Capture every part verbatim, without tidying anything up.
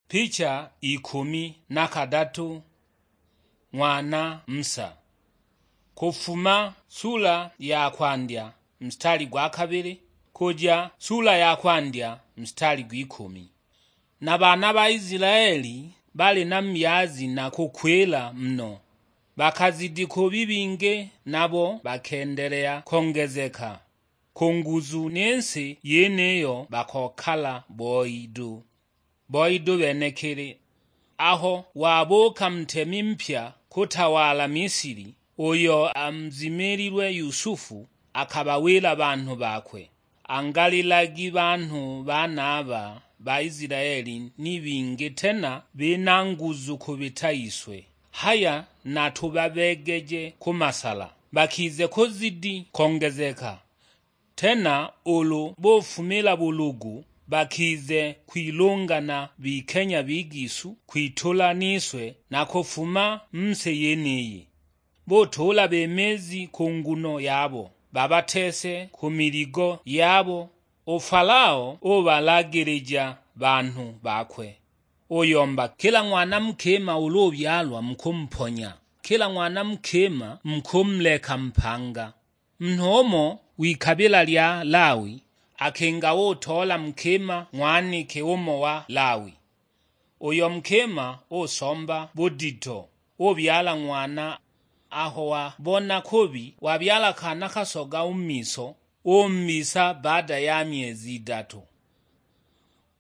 Picha ikumi na kadatu. Ng'wana Musa. Kufuma sula ya kwandya mstari gwa kabili kuja sula ya kwandya mstari gw'ikumi. Na baana ba Isilaeli bali na myazi na kukwila muno, bakazidi kubi bingi, nabo bakendelea kongezeka ku nguzu, ni nsi yeniyo bakokala boi du. Boi du benekili. Aho wabuuka ntemi mpya kutawala Misili, uyo amzimililwe Yusufu, akabawila banhu bakwe, "Angalilagi banhu banaba ba Isilaeli ni bingi tena bina nguzu kubita iswe. Haya natubabegeje ku masala, bakize kuzidi kongezeka. Tena ulu bufumila bulugu, bakize kwilungana bikenya bigisu kwitula niswe na kufuma mu si yeniyi. Butula bemezi ku nguno yabo, babatese ku miligo yabo." U Falao ubalagilija banhu bakwe, uyomba, "Kila ng'wana mukima ulu ubyalwa mukumuponya, kila ng'wana mukima mukumuleka mpanga." Munhu umo w'ikabila lya Lawi akinga utola mukima ng'wanike umo wa Lawi. Uyo mukima usomba budito, ubyala ng'wana. Aho wabona kubi, wabyala kana kasoga u mu miso, umbisa baada ya myezi idatu.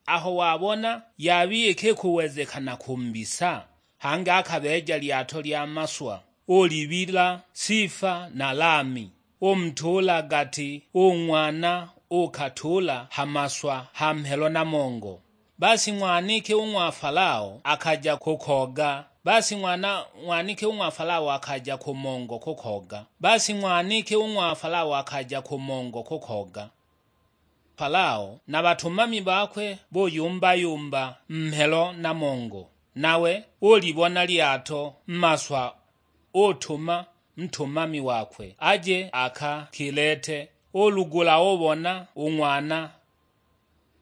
Aho wabona yabi iki kuwezekana kumbisa, hangi akabeeja lyato lya maswa, ulibila Sifa na Lami, umutuula gati u ng'wana, ukatuula ha maswa ha mhelo na mongo. Basi ng'waniki u ng'wa Falao akaja kukoga, basi ng'wana ng'waniki u ng'wa Falao akaja ku mongo kukoga, basi ng'waniki u ng'wa Falao akaja ku mongo kukoga. Falao na batumami bakwe buyumba-yumba mhelo na mongo, nawe ulibona lyato mmaswa, utuma ntumami wakwe aje akakilete. Ulugula ubona u ng'wana.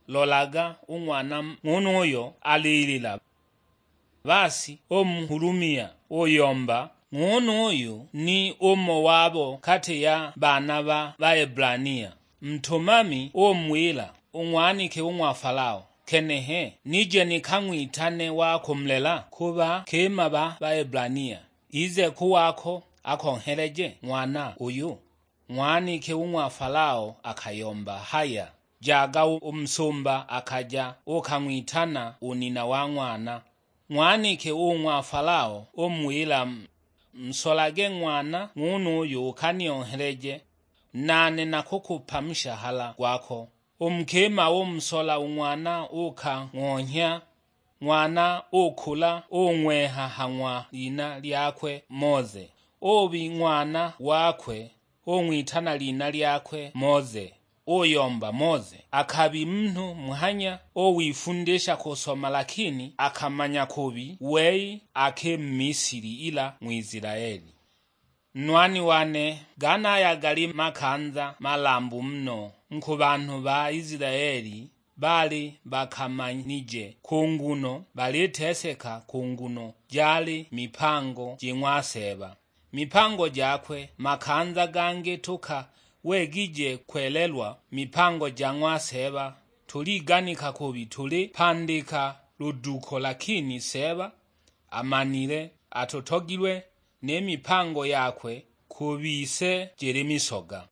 Lolaga, u ng'wana ng'unuyo alilila. Basi umuhulumia, uyomba, "Ng'unuyu ni umo wabo kati ya baana ba Baebrania." Ntumami umuwila, "Ung'wanike u ng'wa Falao, kenehe nije nikang'witane wa kumulela ku bakima ba Baebrania, ize ku wako akonheleje ng'wana uyu." Ng'waniki u ng'wa Falao akayomba, "Haya, jaga." U musumba akaja ukang'witana u nina wa ng'wana. Ng'waniki u ng'wa Falao umuwila, "Nsolage ng'wana ng'unuyu ukanionheleje, nane nakukupa mushahala gwako." U mukima umusola u ng'wana, ukang'onhya. Ng'wana ukula, ung'wenha ha ng'wa lina lyakwe Moze. Ubi ng'wana wakwe, ung'witana lina lyakwe Moze. Uyomba Moze akabi munhu muhanya, uwifundisha kusoma, lakini akamanya kubi wei aki Mmisili ila Ng'wisilaeli. Nwani wane, ganaya gali makanza malambu muno nku banhu ba Isilaeli bali bakamanije ku nguno baliteseka ku nguno jali mipango ji ng'wa Seeba. Mipango jakwe makanza gangi tuka wegije kwelelwa mipango ja ng'wa Seeba, tuliganika kubi tulipandika luduko, lakini Seeba amanile atutogilwe ni mipango yakwe ku bise jili misoga.